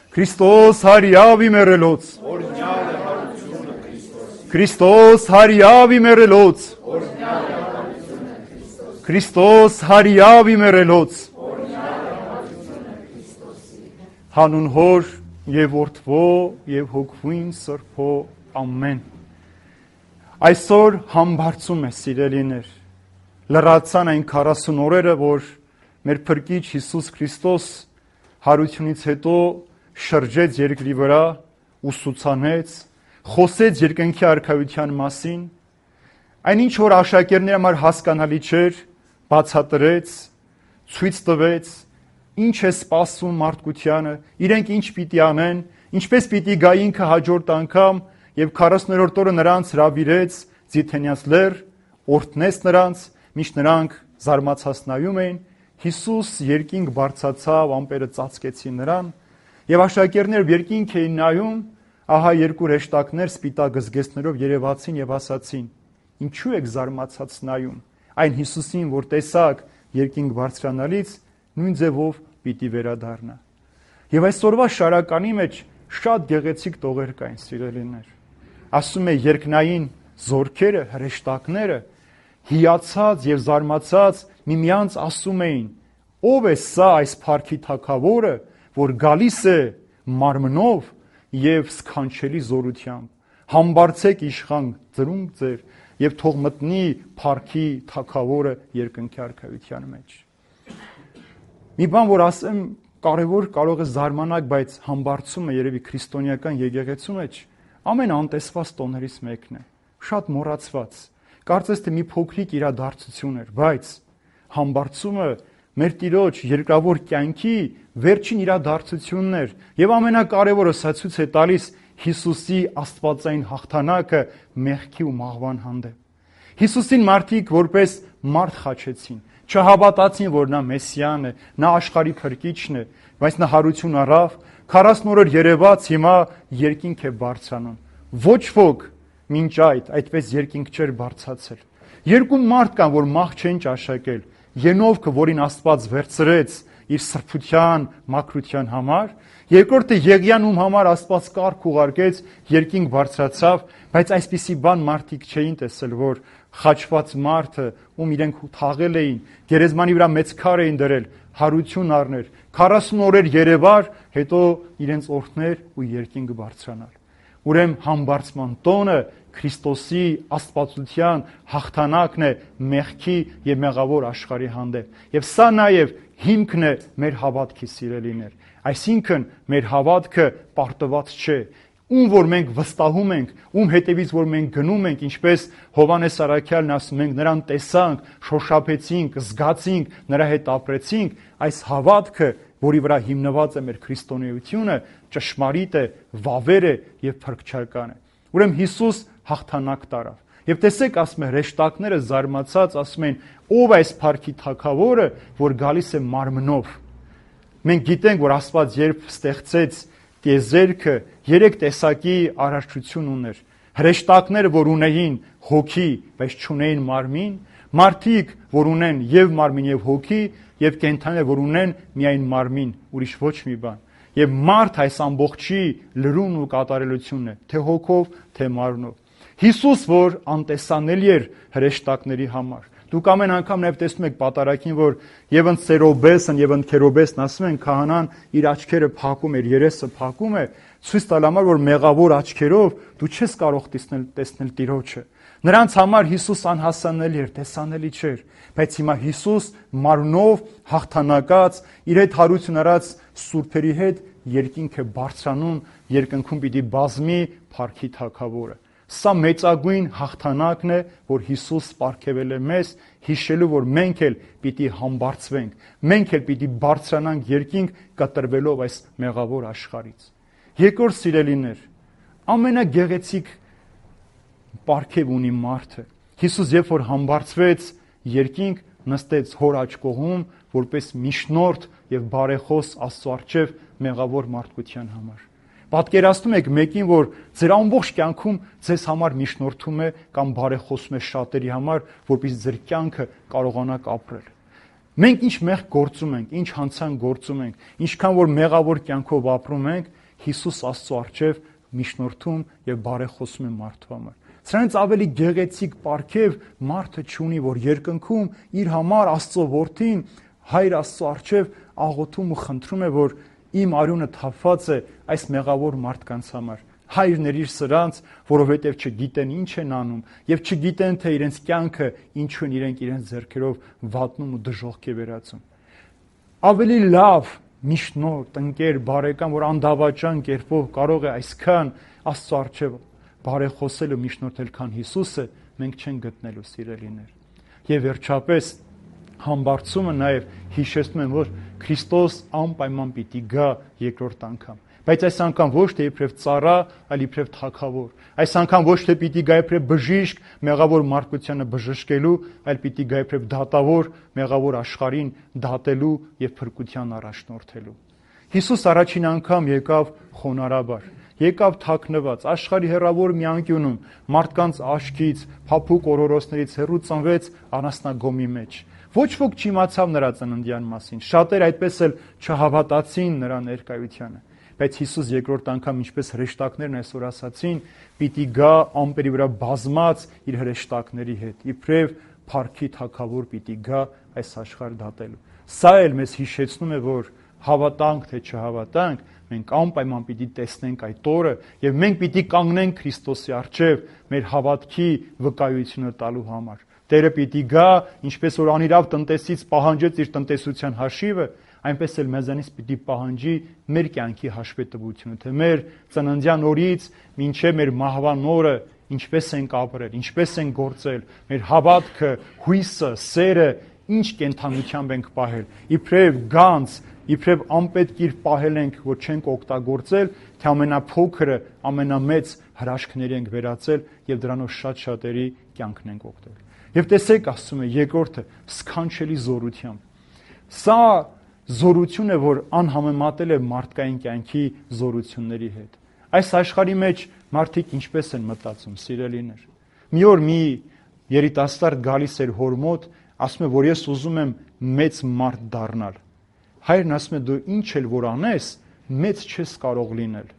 Քրիստոս հարյավի մերելոց Քրիստոս հարյավի մերելոց Քրիստոս հարյավի մերելոց Հանուն Հոր եւ Որդվո եւ Հոգվին Սրբո ամեն Այսօր համբարձում է սիրելիներ լրացան այն 40 օրերը որ մեր Փրկիչ Հիսուս Քրիստոս հարությունից հետո շրջեց երկրի վրա, ուսուցանեց, խոսեց երկնքի արքայության մասին, այնինչ որ աշակերտների համար հասկանալի չէր, բացատրեց, ցույց տվեց, ինչ է սպասում մարդկությանը, իրենք ինչ պիտի անեն, ինչպես պիտի գա ինքը հաջորդ անգամ եւ 40-րդ օրը նրանց հրավիրեց Ձիթենյանց լեռ, օրհնեց նրանց, միշտ նրանք զարմացած նայում էին, Հիսուս երկինք բարձացավ, ամպերը ծածկեցին նրան Եվ աշակերտները երկինք էին նայում, ահա երկու հեշտակներ սպիտակ զգեստներով երևացին եւ ասացին. Ինչու եք զարմացած նայում։ Այն Հիսուսին, որ տեսակ երկինք բարձրանալից, նույն ձևով պիտի վերադառնա։ Եվ այսօրվա շարականի մեջ շատ գեղեցիկ տողեր կային, սիրելիներ։ Ասում է երկնային զորքերը, հրեշտակները հիացած եւ զարմացած միմյանց ասում էին. Ո՞վ է սա այս փառքի թագավորը, որ գալիս է մարմնով եւ սքանչելի զորությամբ համբարձեք իշխան ծրունք ձեր եւ թող մտնի փառքի թագավորը երկնքի արքայության մեջ մի բան որ ասեմ կարևոր կարող է զարմանալ բայց համբարձումը երևի քրիստոնեական եկեղեցու մեջ ամեն անտեսված տոներից մեկն է շատ մոռացված կարծես թե մի փոքրիկ իրադարձություն էր բայց համբարձումը մեր Տիրոջ երկրավոր կյանքի վերջին իրադարձությունն էր եւ ամենակարևորը սա ցույց է տալիս Հիսուսի աստվածային հաղթանակը մեղքի ու մահվան հանդեպ Հիսուսին մարդիկ որպես մարդ խաչեցին չհավատացին որ նա Մեսիան է նա աշխարհի փրկիչն է բայց նա հարություն առավ 40 օրեր երևաց հիմա երկինք է բարձրանում ոչ ոք մինչ այդպես երկինք չէր բարձրացել երկու մարդ կան որ մահ չեն ճաշակել Ենովքը, որին Աստված վերցրեց իր սրբության, մաքրության համար, երկրորդը Եղիան, ում համար Աստված կարգ ուղարկեց, երկինք բարձրացավ, բայց այսպիսի բան մարդիկ չէին տեսել, որ խաչված մարդը, ում իրենք թաղել էին, գերեզմանի վրա մեծ քար էին դրել, հարություն առներ, 40 օրեր երևար, հետո իրենց օրհներ ու երկինք բարձրանալ։ Ուրեմն համբարձման տոնը Քրիստոսի աստվածության հաղթանակն է մեղքի եւ մեղավոր աշխարհի հանդեպ։ Եվ սա նաեւ հիմքն է մեր հավատքի սիրելիներ։ Այսինքն մեր հավատքը պարտված չէ։ Ում որ մենք վստահում ենք, ում հետևից որ մենք գնում ենք, ինչպես Հովհաննես Առաքյալն ասում ենք, նրան տեսանք, շոշափեցինք, զգացինք, նրա հետ ապրեցինք, այս հավատքը, որի վրա հիմնված է մեր քրիստոնեությունը, ճշմարիտ է, վավեր է եւ փրկչական է։ Ուրեմն Հիսուս հաղթանակ տարավ։ Եվ տեսեք, ասում է, հրեշտակները զարմացած ասում են, ով է այս փառքի թագավորը, որ գալիս է մարմնով։ Մենք գիտենք, որ Աստված երբ ստեղծեց տիեզերքը, 3 տեսակի արարչություն ուներ։ Հրեշտակները, որ ունեին հոգի, բայց չունեին մարմին, մարդիկ, որ ունեն եւ մարմին եւ հոգի, եւ կենդանիներ, որ ունեն միայն մարմին, ուրիշ ոչ մի բան։ Եվ մարդ այս ամբողջի լրումն ու կատարելությունն է, թե հոգով, թե մարմնով։ Հիսուս, որ անտեսանելի էր հրեշտակների համար։ Դուք ամեն անգամ նաև տեսնում եք պատարագին, որ եւ ընդ Սերոբեսն եւ ընդ Քերոբեսն ասում են քահանան իր աչքերը փակում էր, երեսը փակում է, ցույց տալ համար, որ մեղավոր աչքերով դու չես կարող տեսնել Տիրոջը։ Նրանց համար Հիսուս անհասանելի էր, տեսանելի չէր, բայց հիմա Հիսուս մարմնով հաղթանակած իր հետ հարություն առած սուրբերի հետ երկինք է բարձրանում, երկնքում պիտի բազմի փառքի թագավորը։ Սա մեծագույն հաղթանակն է, որ Հիսուս պարգևել է մեզ, հիշելու, որ մենք էլ պիտի համբարձվենք, մենք էլ պիտի բարձրանանք երկինք կտրվելով այս մեղավոր աշխարհից։ Երկրորդ սիրելիներ, ամենագեղեցիկ պարգև ունի մարդը։ Հիսուս երբ որ համբարձվեց երկինք, նստեց հոր աջ կողմում, որպես միջնորդ եւ բարեխոս Աստծո առջև մեղավոր մարդկության համար։ Պատկերացնում եք մեկին, որ ձեր ամբողջ կյանքում ձեզ համար միջնորդում է կամ բարեխոսում է շատերի համար, որպեսզի ձեր կյանքը կարողանաք ապրել։ Մենք ինչ մեղք գործում ենք, ինչ հանցանք գործում ենք, ինչքան որ մեղավոր կյանքով ապրում ենք, Հիսուս Աստծո առջև միջնորդում եւ բարեխոսում է մարդու համար։ Սրանից ավելի գեղեցիկ պարգև մարդը չունի, որ երկնքում իր համար Աստծո որդին Հայր Աստծո առջև աղոթում ու խնդրում է, որ իմ արյունը թափված է այս մեղավոր մարդկանց համար։ Հայր ներիր սրանց, որովհետև չգիտեն ինչ են անում եւ չգիտեն թե իրենց կյանքը ինչու են իրենք իրենց ձեռքերով վատնում ու դժոխք է վերածում։ Ավելի լավ միջնորդ, ընկեր, բարեկամ, որ անդավաճան կերպով կարող է այսքան Աստծո առջև բարեխոսել ու միջնորդել, քան Հիսուսը, մենք չենք գտնելու, սիրելիներ։ Եվ վերջապես համբարձումը նաև հիշեցնում եմ, որ Քրիստոս անպայման պիտի գա երկրորդ անգամ։ Բայց այս անգամ ոչ թե իբրև ծառա, այլ իբրև թագավոր։ Այս անգամ ոչ թե պիտի գա իբրև բժիշկ, մեղավոր մարդկությանը բժշկելու, այլ պիտի գա իբրև դատավոր, մեղավոր աշխարհին դատելու եւ փրկության առաջնորդելու։ Հիսուս առաջին անգամ եկավ խոնարհաբար, եկավ թաքնված, աշխարհի հեռավոր մի անկյունում, մարդկանց աչքից, փափուկ օրորոցներից հեռու ծնվեց անասնագոմի մեջ։ Ոչ ոք չիմացավ նրա ծննդյան մասին, շատեր այդպես էլ չհավատացին նրա ներկայությանը։ Բայց Հիսուս երկրորդ անգամ, ինչպես հրեշտակներն այսօր ասացին, պիտի գա ամպերի վրա բազմած իր հրեշտակների հետ, իբրև փառքի թագավոր պիտի գա այս աշխարհ դատելու։ Սա էլ մեզ հիշեցնում է, որ հավատանք թե չհավատանք, մենք անպայման պիտի տեսնենք այդ օրը եւ մենք պիտի կանգնենք Քրիստոսի առջև մեր հավատքի վկայությունը տալու համար։ Տերը պիտի գա, ինչպես որ անիրավ տնտեսից պահանջեց իր տնտեսության հաշիվը, այնպես էլ մեզանից պիտի պահանջի մեր կյանքի հաշվետվությունը, թե մեր ծննդյան օրից մինչև մեր մահվան օրը ինչպես ենք ապրել, ինչպես ենք գործել, մեր հավատքը, հույսը, սերը ինչ կենթանությամբ ենք պահել, իբրև գանձ, իբրև անպետք իր պահել ենք, որ չենք օգտագործել, թե ամենափոքրը, ամենամեծ հրաշքների ենք վերածել եւ դրանով շատ-շատերի կյանքն ենք օգտել։ Եվ տեսեք, ասում է երկրորդը, սքանչելի զորությամբ։ Սա զորություն է, որ անհամեմատել է մարդկային կյանքի զորությունների հետ։ Այս աշխարհի մեջ մարդիկ ինչպես են մտածում, սիրելիներ։ Մի օր մի երիտասարդ գալիս էր հոր մոտ, ասում է, որ ես ուզում եմ մեծ մարդ դառնալ։ Հայրն ասում է, դու ինչ էլ որ անես, մեծ չես կարող լինել։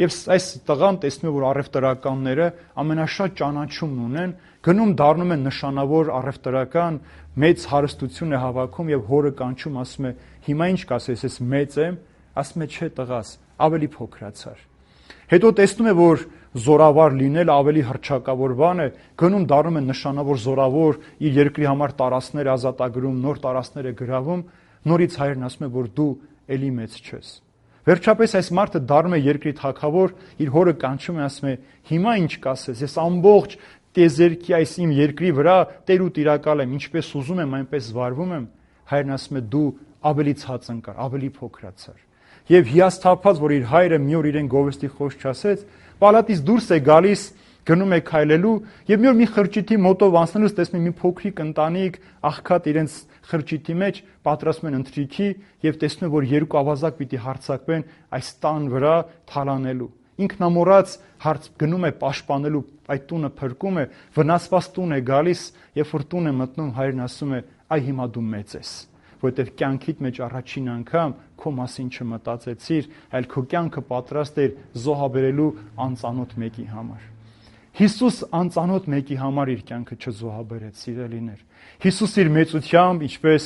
Եվ այս տղան տեսնում է, որ առևտրականները ամենաշատ ճանաչումն ունեն, գնում դառնում են նշանավոր առևտրական, մեծ հարստություն է հավաքում եւ հորը կանչում, ասում է, հիմա ինչ կասես, ես մեծ եմ, ասում է, չէ տղաս, ավելի փոքրացար։ Հետո տեսնում է, որ զորավար լինել ավելի հռչակավոր բան է, գնում դառնում է նշանավոր զորավոր, իր երկրի համար տարածքներ ազատագրում, նոր տարածքներ է գրավում, նորից հայրն ասում է, որ դու էլի մեծ չես։ Վերջապես այս մարդը դառնում է երկրի թագավոր, իր հորը կանչում է, ասում է, հիմա ինչ կասես, ես ամբողջ տեզերքի այս իմ երկրի վրա տեր ու տիրակալ եմ, ինչպես ուզում եմ, այնպես վարվում եմ։ Հայրն ասում է, դու ավելի ցած ընկար, ավելի փոքրացար։ Եվ հիասթափած, որ իր հայրը մի օր իրեն գովեստի խոսք չասեց, պալատից դուրս է գալիս, գնում է քայլելու եւ մի օր մի խրճիթի մոտով անցնելուց տեսնում է մի փոքրիկ ընտանիք աղքատ իրենց խրճիթի մեջ պատրաստում են ընթրիքի եւ տեսնում է, որ երկու ավազակ պիտի հարձակվեն այս տան վրա թալանելու։ Ինքնամոռաց գնում է պաշտպանելու այդ տունը, փրկում է, վնասված տուն է գալիս, երբ որ տուն է մտնում, հայրն ասում է, այ հիմա դու մեծ ես, որովհետև կյանքիդ մեջ առաջին անգամ քո մասին չմտածեցիր, այլ քո կյանքը պատրաստ էր զոհաբերելու անծանոթ մեկի համար։ Հիսուս անծանոթ մեկի համար իր կյանքը չզոհաբերեց, սիրելիներ։ Հիսուս իր մեծությամբ, ինչպես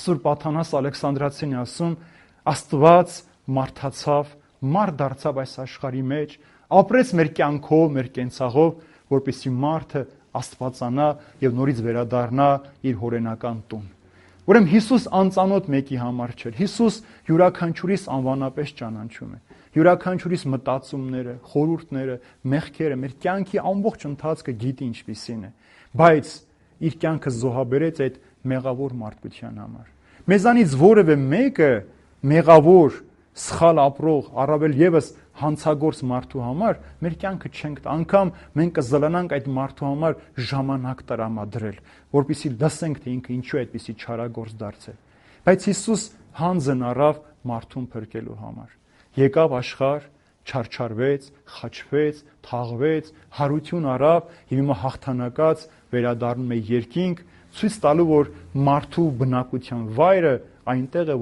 Սուրբ Աթանաս Ալեքսանդրացին է ասում, Աստված մարդացավ, մարդ դարձավ այս աշխարհի մեջ, ապրեց մեր կյանքով, մեր կենցաղով, որպեսզի մարդը աստվածանա եւ նորից վերադառնա իր հորենական տուն։ Ուրեմն Հիսուս անծանոթ մեկի համար չէր։ Հիսուս յուրաքանչյուրիս անվանապես ճանաչում է։ Յուրաքանչյուրիս մտածումները, խորհուրդները, մեղքերը, մեր կյանքի ամբողջ ընթացքը գիտի ինչպիսին է, բայց իր կյանքը զոհաբերեց այդ մեղավոր մարդկության համար։ Մեզանից որևէ մեկը մեղավոր, սխալ ապրող, առավել եւս հանցագործ մարդու համար մեր կյանքը չենք տա, անգամ մենք կզլանանք այդ մարդու համար ժամանակ տրամադրել, որպեսզի լսենք, թե ինքը ինչու է այդպիսի չարագործ դարձել։ Բայց Հիսուս հանձն առավ մարդուն փրկելու համար։ Եկավ աշխարհ, չարչարվեց, խաչվեց, թաղվեց, հարություն առավ եւ հիմա հաղթանակած վերադառնում է երկինք, ցույց տալու, որ մարդու բնակության վայրը այնտեղ է,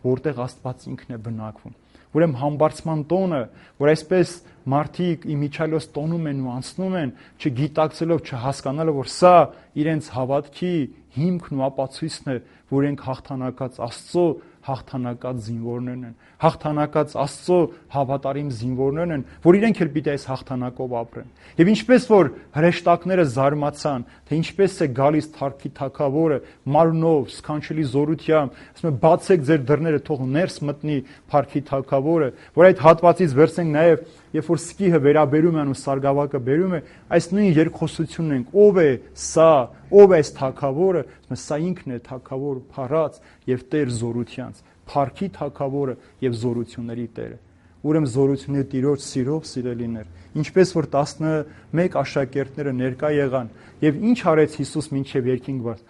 որտեղ Աստված ինքն է բնակվում։ Ուրեմն համբարձման տոնը, որ այսպես մարդիկ իմիջիալոց տոնում են ու անցնում են, չգիտակցելով, չհասկանալով, որ սա իրենց հավատքի հիմքն ու ապացույցն է, որ իրենք հաղթանակած Աստծո հաղթանակած զինվորներն են, հաղթանակած Աստծո հավատարիմ զինվորներն են, որ իրենք էլ պիտի այս հաղթանակով ապրեն։ Եվ ինչպես որ հրեշտակները զարմացան, թե ինչպես է գալիս Թարքի Թագավորը մարմնով, սքանչելի զորությամբ, ասում է բացեք ձեր դռները, թող ներս մտնի Փարքի Թագավորը, որ այդ հատվածից վերցնենք նաև, երբ որ սկիհը վերաբերում են ու սարգսակը բերում է, այս նույն երկխոսությունն ենք, ով է սա, ով է այս Թագավորը, ասում է սա ինքն է Թագավոր փառած եւ Տեր զորությանց, Փարքի Թագավորը եւ զորությունների Տերը։ Ուրեմն զորությունների Տիրոջ սիրով սիրելիներ, ինչպես որ 11 աշակերտները ներկա եղան եւ ինչ արեց Հիսուս մինչեւ երկինք վար,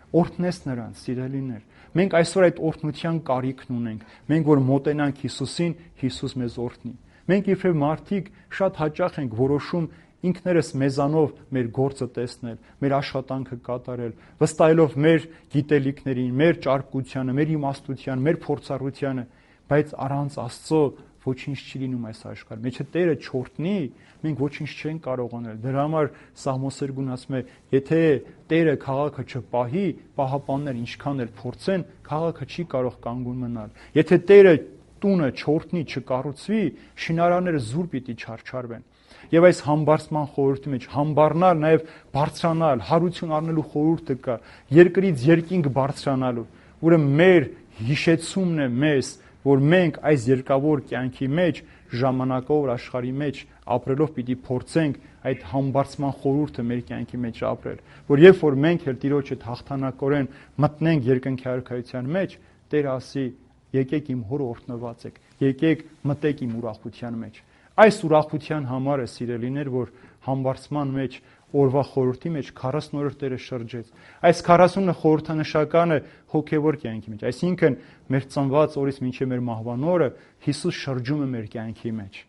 օրհնեց նրանց սիրելիներ։ Մենք այսօր այդ օրհնության կարիքն ունենք։ Մենք որ մոտենանք Հիսուսին, Հիսուս մեզ օրհնի։ Մենք իբրև մարդիկ շատ հաճախ ենք որոշում ինքներս մեզանով մեր գործը տեսնել, մեր աշխատանքը կատարել, վստահելով մեր գիտելիքներին, մեր ճարպկությանը, մեր իմաստությանը, մեր փորձառությանը, բայց առանց Աստծո ոչինչ չի լինում այս աշխարհում։ Եթե Տերը չօրհնի, մենք ոչինչ չենք կարող անել։ Դրա համար Սաղմոսերգուն ասում է, եթե Տերը քաղաքը չպահի, պահապաններ ինչքան էլ փորձեն, քաղաքը չի կարող կանգուն մնալ։ Եթե Տերը տունը չօրհնի, չկառուցվի, շինարանները զուր պիտի չարչարվեն։ Եվ այս համբարձման խորհրդի մեջ համբառնալ, նաև բարձրանալ, հարություն առնելու խորհուրդը կա, երկրից երկինք բարձրանալու։ Ուրեմն մեր հիշեցումն է մեզ, որ մենք այս երկավոր կյանքի մեջ, ժամանակավոր աշխարհի մեջ ապրելով պիտի փորձենք այդ համբարձման խորհուրդը մեր կյանքի մեջ ապրել, որ երբ որ մենք էլ Տիրոջ հետ հաղթանակորեն մտնենք երկնքի արքայության մեջ, Տերը ասի. եկեք իմ հոր օրհնված եք, եկեք մտեք իմ ուրախության մեջ։ Այս ուրախության համար է սիրելիներ, որ համբարձման մեջ օրվա խորհրդի մեջ 40 օրը Տերը շրջեց։ Այս 40-ը խորհրդանշական է հոգևոր կյանքի մեջ, այսինքն մեր ծնված օրից մինչև մեր մահվան օրը Հիսուս շրջում է մեր կյանքի մեջ,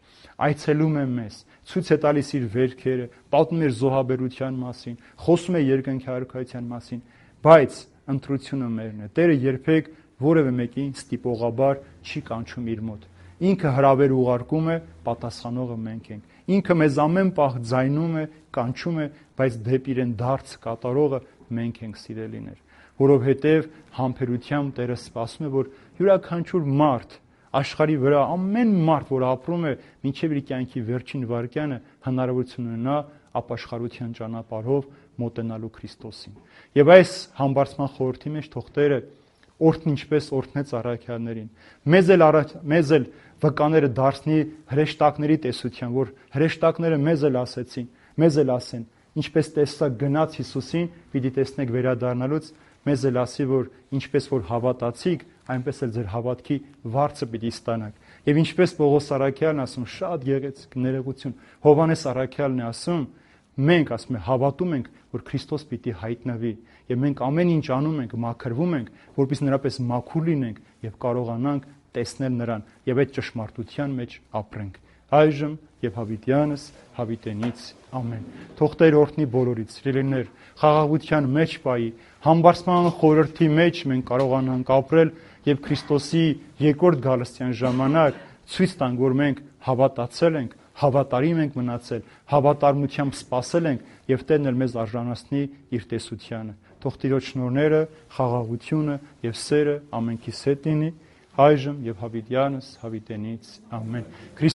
այցելում է մեզ, ցույց է տալիս իր վերքերը, պատմում է զոհաբերության մասին, խոսում է երկնքի արքայության մասին, բայց ընտրությունը մերն է։ Տերը երբեք որևէ մեկին ստիպողաբար չի կանչում իր մոտ։ Ինքը հրավեր ուղարկում է, պատասխանողը մենք ենք։ Ինքը մեզ ամեն պահ ձայնում է, կանչում է, բայց դեպի իրեն դարձ կատարողը մենք ենք սիրելիներ։ Որովհետև համբերությամբ Տերը սպասում է, որ յուրաքանչյուր մարդ աշխարհի վրա ամեն մարդ, որ ապրում է մինչև իր կյանքի վերջին վայրկյանը, հնարավորություն ունենա ապաշխարության ճանապարհով մոտենալու Քրիստոսին։ Եվ այս համբարձման խորհրդի մեջ թող Տերը օրհն ինչպես օրհնեց առաքյալներին։ Մեզ էլ վկաները դարձնի հրեշտակների տեսության, որ հրեշտակները մեզ էլ ասեն, ինչպես տեսա գնաց Հիսուսին, պիտի տեսնեք վերադառնալուց, մեզ էլ ասի, որ ինչպես որ հավատացիք, այնպես էլ ձեր հավատքի վարձը պիտի ստանաք։ Եվ ինչպես Պողոս առաքյալն ասում, շատ գեղեցիկ ներողություն, Հովհաննես առաքյալն է ասում, մենք ասում է հավատում ենք, որ Քրիստոս պիտի հայտնվի, եւ մենք ամեն ինչ անում ենք, մաքրվում ենք, որպեսզի նրապես մաքուր լինենք եւ կարողանանք տեսնել նրան եւ այդ ճշմարտության մեջ ապրենք։ Այժմ եւ հավիտյանս հավիտենից ամեն։ Թող Տեր օրհնի բոլորից, սիրելիներ, խաղաղության մեջ պայի, համբարձման խորհրդի մեջ մենք կարողանանք ապրել եւ Քրիստոսի երկրորդ գալստյան ժամանակ ցույց տանք, որ մենք հավատացել ենք, հավատարիմ ենք մնացել, հավատարմությամբ սպասել ենք եւ Տերն էլ մեզ արժանացնի իր տեսությանը։ Թող Տիրոջ շնորհները, խաղաղությունը եւ սերը ամենքիս հետ լինի, այժմ եւ հավիտյանս հավիտենից ամեն։